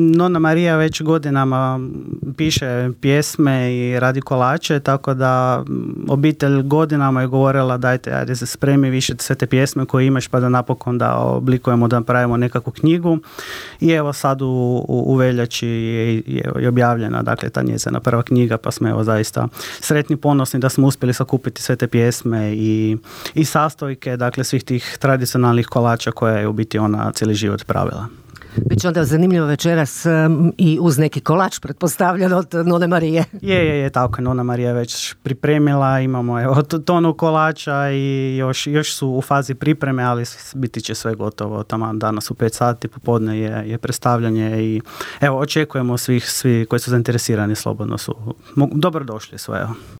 Nona Marija već godinama piše pjesme i radi kolače, tako da obitelj godinama je govorila dajte, ajde se spremi više sve te pjesme koje imaš pa da napokon da oblikujemo, da napravimo nekakvu knjigu. I evo sad u veljači je objavljena, dakle, ta njezina prva knjiga, pa smo evo zaista sretni, ponosni da smo uspjeli sakupiti sve te pjesme i sastojke, dakle, svih tih tradicionalnih kolača koje je u biti ona cijeli život pravila. Biće onda zanimljivo večeras i uz neki kolač, pretpostavljan od None Marije. Je, tako je Nona Marija već pripremila, imamo evo tonu kolača i još su u fazi pripreme, ali biti će sve gotovo. Taman danas u 5 sati popodne je predstavljanje i evo očekujemo svi koji su zainteresirani slobodno su dobrodošli sve.